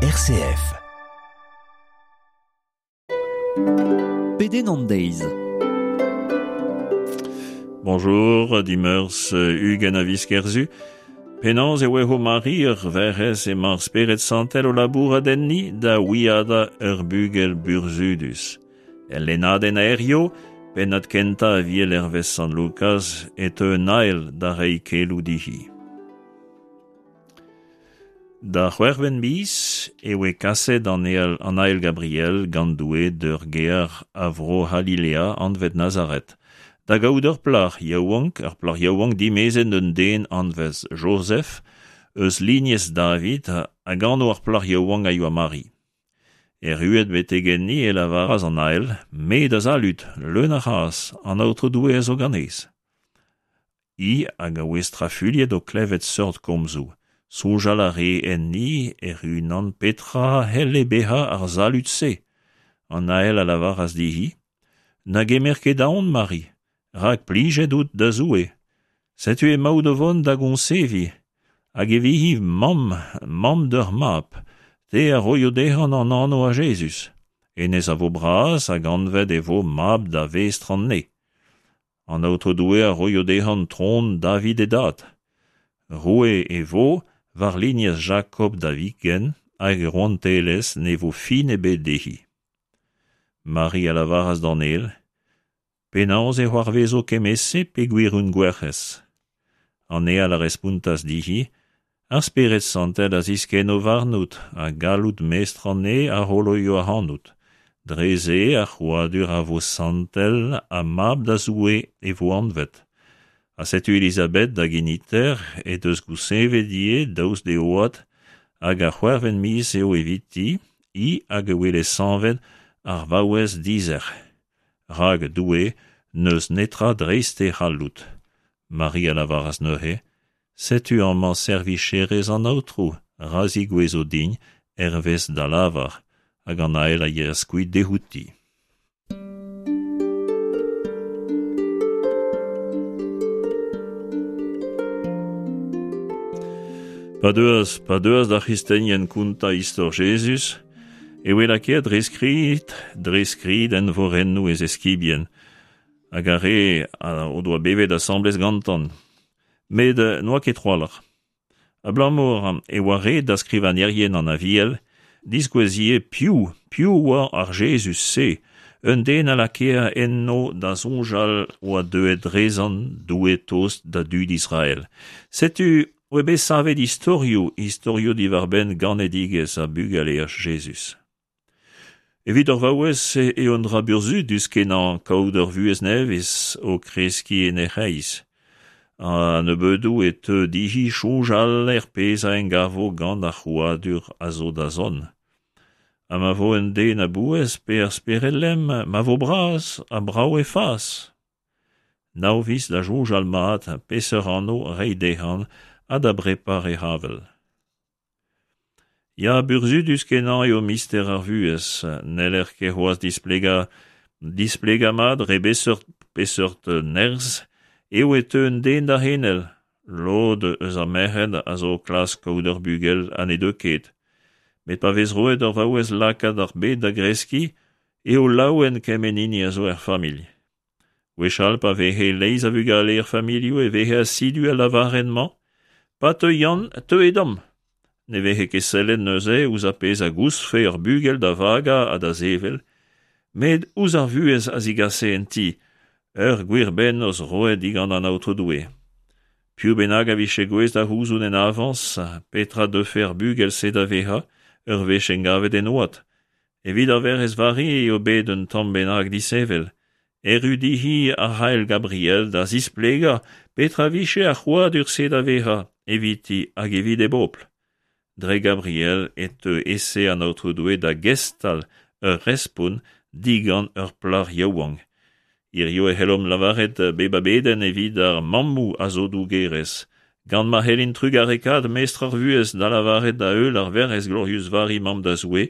RCF. Pedenn an deiz. Bonjour, dimeurzh 20 a viz Kerzu. Penaos e oe ho Mari ur werc'hez emañ ar Spered Santel o labourat enni da wiadañ ur bugel burzhudus. El lennadenn aerioù, pennad kentañ Aviel hervez Sant Lukaz, e teu un ael da reiñ keloù dezhi. Da c'hwec'hvet miz e oe kaset an ael, an ael Gabriel gant Doue d'ur gêr a Vro-C'halilea anvet Nazaret, da gaout ur plac'h yaouank, ur plac'h yaouank dimezet d'un den anvet Jozef, eus lignez David, hag anv ar plac'h yaouank a yoa Mari. Erruet betek enni e lavaras an ael, Me da salud, leun a c'hras, an Aotrou Doue a zo ganez. Hi hag a oe strafuilhet o klevet seurt komzoù. Soñjal a ree enni hec'h-unan petra a c'helle bezañ ar salud-se. An ael a lavaras dezhi, Na gemer ket aon, Mari, rak plijet out da Zoue. Setu emaout o vont da goñseviñ, hag e vihi mamm, mamm d'ur mab, te a roio dezhañ an anv a Jezuz. Hennezh a vo bras hag anvet e vo mab da vestr an ne. An Aotrou Doue a roio dezhañ tron David e dad. Roue e vo war lignez Jakob da viken hag e rouantelezh ne vo fin ebet dezhi. Mari a lavaras d'an ael, Penaos e c'hoarvezo kement-se peogwir on gwerc'hez? An ael a respontas dezhi, Ar Spered Santel a ziskenno warnout ha galloud mestr an neñv a c'holoio ac'hanout. Dre-se ar c'hrouadur a vo santel ha mab da Zoue e vo anvet. Ha setu Elizabeth da geniter he deus goussevet ivez daoust d'he oad, hag ar c'hwec'hvet miz eo eviti, hi hag e wele sañvet ar vaouez dizec'h. Rak Doue n'eus netra dreist e c'halloud. Mari a lavaras neuze, Setu amañ servicherez an Aotrou, ra zigouezo din hervez da lavar. Hag an ael a yeas kuit dezhouti. Pa deuas, pa deuas d'ar c'hristenien kontañ istor Jezuz, e oe lakaet dre skrid, dre skrid envorennoù e zeskibien, hag ar re o doa bevet asambles gantan. Met n'oa ket trawalc'h. Abalamour e oa ret da skrivagnerien an Aviel diskouez ivez piv, piv oa ar Jezuz-se, un den a lakae enno da soñjal oa deuet drezan Doue tost da dud Israel. Setu oa bet savet istorioù, istorioù diwar-benn ganedigezh ha bugaleaj Jezuz. Evit ur vaouez eo un dra burzhudus-kenañ kaout ur vuhez nevez o kreskiñ en he c'hreiz. A-nebeudoù e teu dezhi soñjal er pezh a engavo gant ar c'hrouadur a zo da zont. Ha ma vo un den a-bouez pe ur spered lemm, ma vo bras ha brav e fas. Nav viz da soñjal mat peseurt anv reiñ dezhañ ha da brepar e c'havell. Ya, burzhudus-kenañ eo mister ar vuhez. N'heller ket c'hoazh displegañ displegañ mat dre beseurt peseurt nerzh eo e teu un den da c'henel. Lod eus ar merc'hed a zo o klask kaout ur bugel ha ne deu ket. Met pa vez roet d'ur vaouez lakaat ar bed da greskiñ eo laouen kement hini a zo er familh. Gwechall pa veze leizh a vugale er familhoù e veze asidu al lavarenn-mañ Pa teu Yann, teu Edom. Ne veze ket sellet neuze ouzh ar pezh a goustfe ur bugel da vagañ ha da sevel, met ouzh ar vuhez a zigase en ti, ur gwir bennozh roet digant an Aotrou Doue. Piv bennak a vije gouest da c'houzout en avañs petra deufe ar bugel-se da vezañ ur wech engavet en oad, Evit ar Werc'hez Vari eo bet un tamm bennak disheñvel. Erru dezhi ar ael Gabriel da zisplegañ petra vije ar c'hrouadur-se da vezañ eviti hag evit e bobl. Dre Gabriel e teu e-se an Aotrou Doue da gestal ur respont digant ur plac'h yaouank. Hiziv e c'hellomp lavaret bep a bedenn evit ar mammoù a zo dougerez, gant ma c'hellint trugarekaat mestr ar vuhez da lavaret da heul ar Werc'hez Glorius Vari Mamm da Zoue,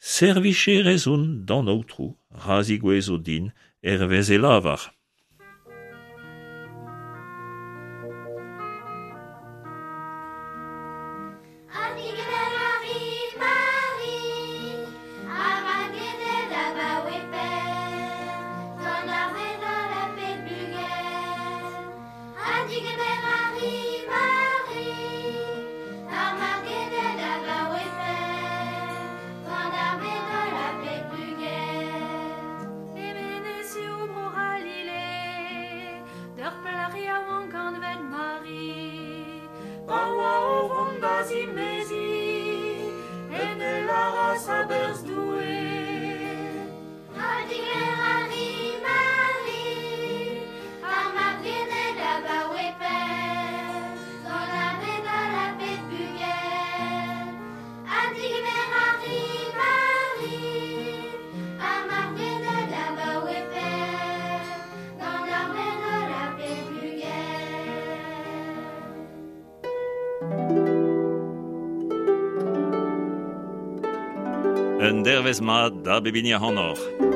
Servicherez on d'an Aotrou, ra zigouezo din hervez e lavar. gras a-berzh Doue. Ha digemer a ri, Mari, ar mab ganet abaoe pell, gant ar bed-holl ha pep bugel. Ha digemer a ri, Mari, ar mab ganet abaoe pell, gant ar bed-holl ha pep bugel. Un dervezh mat da bep hini ac'hanoc'h.